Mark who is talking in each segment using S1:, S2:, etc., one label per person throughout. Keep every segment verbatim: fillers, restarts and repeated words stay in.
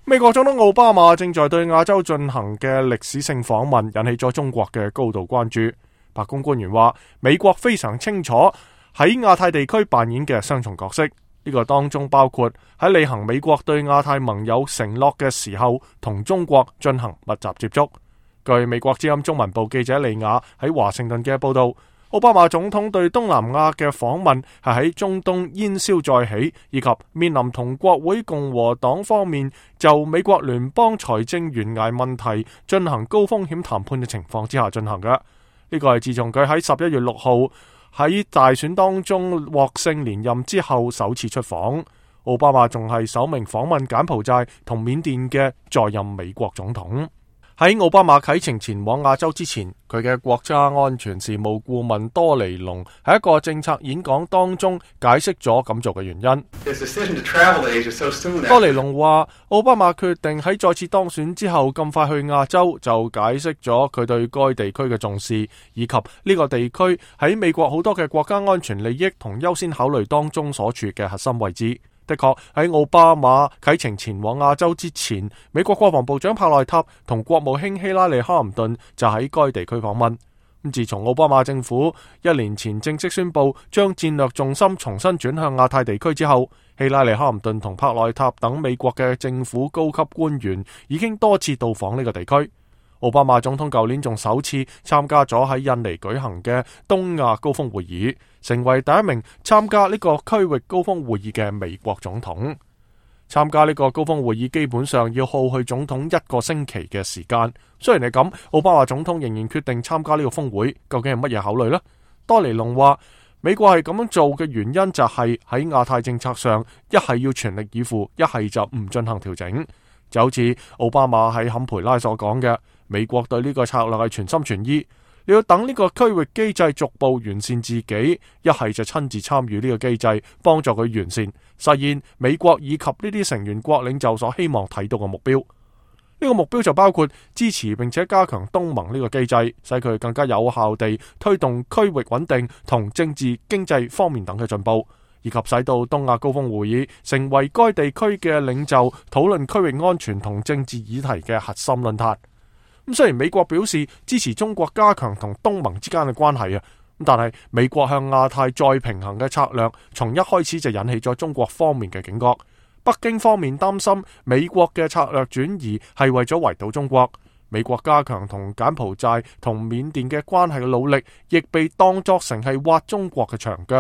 S1: 美國總統奧巴馬正在對亞洲進行嘅歷史性訪問，引起咗中國嘅高度關注。白宮官員話，美國非常清楚喺亞太地區扮演嘅雙重角色，呢個當中包括喺履行美國對亞太盟友承諾嘅時候，同中國進行密集接觸。據美國之音中文部記者利亞喺華盛頓嘅報道，奧巴馬總統對東南亞嘅訪問係喺中東煙消再起，以及面臨同國會共和黨方面就美國聯邦財政懸崖問題進行高風險談判嘅情況之下進行嘅。呢個係自從佢喺十一月六號喺大選當中獲勝連任之後首次出訪。奧巴馬仲係首名訪問柬埔寨同緬甸嘅在任美國總統。喺奧巴馬啟程前往亞洲之前，佢嘅國家安全事務顧問多尼龍喺一個政策演講當中解釋咗咁做嘅原因。多尼龍話，奧巴馬決定喺再次當選之後咁快去亞洲，就解釋咗佢對該地區嘅重視，以及呢個地區喺美國好多嘅國家安全利益同優先考慮當中所處嘅核心位置。的確喺奧巴馬啟程前往亞洲之前，美國國防部長帕內塔同國務卿希拉里哈林頓就喺該地區訪問。咁自從奧巴馬政府一年前正式宣布將戰略重心重新轉向亞太地區之後，希拉里哈林頓同帕內塔等美國嘅政府高級官員已經多次到訪呢個地區。奧巴馬總統舊年仲首次參加咗喺印尼舉行嘅東亞高峰會議，成為第一名參加呢個區域高峰會議嘅美國總統。參加呢個高峰會議基本上要耗去總統一個星期嘅時間。雖然係咁，奧巴馬總統仍然決定參加呢個峰會，究竟係乜嘢考慮呢？多尼龍話，美國係咁樣做嘅原因就係喺亞太政策上，一係要全力以赴，一係就唔進行調整。就好似奧巴馬喺坎培拉所講嘅，美國對呢個策略係全心全意，你要等呢個區域機制逐步完善自己，一係就親自參與呢個機制，幫助佢完善，實現美國以及呢啲成員國領袖所希望睇到嘅目標。呢個目標就包括支持並且加強東盟呢個機制，使佢更加有效地推動區域穩定同政治經濟方面等嘅進步，以及使到東亞高峰會議成為該地區嘅領袖討論區域安全同政治議題嘅核心論壇。咁雖然美國表示支持中國加強同東盟之間嘅關係啊，但係美國向亞太再平衡嘅策略，從一開始就引起咗中國方面嘅警覺。北京方面擔心美國嘅策略轉移係為咗圍堵中國。美國加強同柬埔寨同緬甸嘅關係嘅努力，亦被當作成係挖中國嘅牆腳。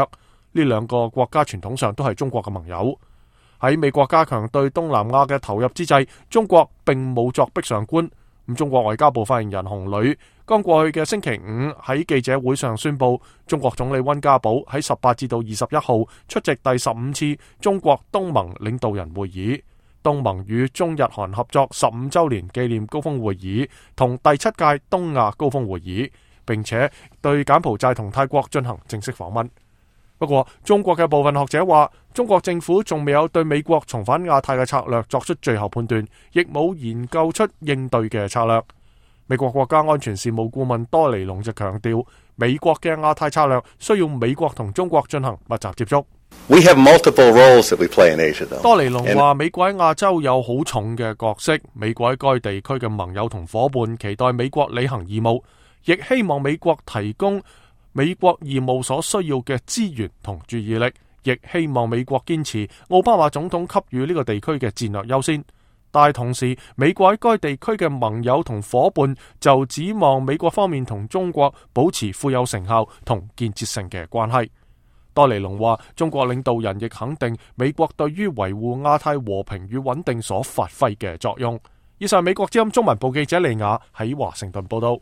S1: 呢兩個國家傳統上都係中國嘅盟友。喺美國加強對東南亞嘅投入之際，中國並冇作壁上觀。咁中國外交部發言人洪磊剛過去嘅星期五喺記者會上宣布，中國總理溫家寶喺十八至到二十一號出席第十五次中國東盟領導人會議、東盟與中日韓合作十五週年紀念高峰會議同第七屆東亞高峰會議，並且對柬埔寨同泰國進行正式訪問。不過，中國嘅部分學者話，中國政府仲未有對美國重返亞太嘅策略作出最後判斷，亦冇研究出應對嘅策略。美國國家安全事務顧問多尼龍就強調，美國嘅亞太策略需要美國同中國進行密集接觸。
S2: We have multiple roles that we play in Asia, though.
S1: 多尼龍話，美國喺亞洲有好重嘅角色，美國喺該地區嘅盟友同夥伴期待美國履行義務，亦希望美國提供美國義務所需要嘅資源同注意力，亦希望美國堅持奧巴馬總統給予呢個地區嘅戰略優先。但係同時，美國喺該地區嘅盟友同夥伴就指望美國方面同中國保持富有成效同建設性嘅關係。多尼龍話，中國領導人亦肯定美國對於維護亞太和平與穩定所發揮嘅作用。以上美國之音中文部記者利亞喺華盛頓報道。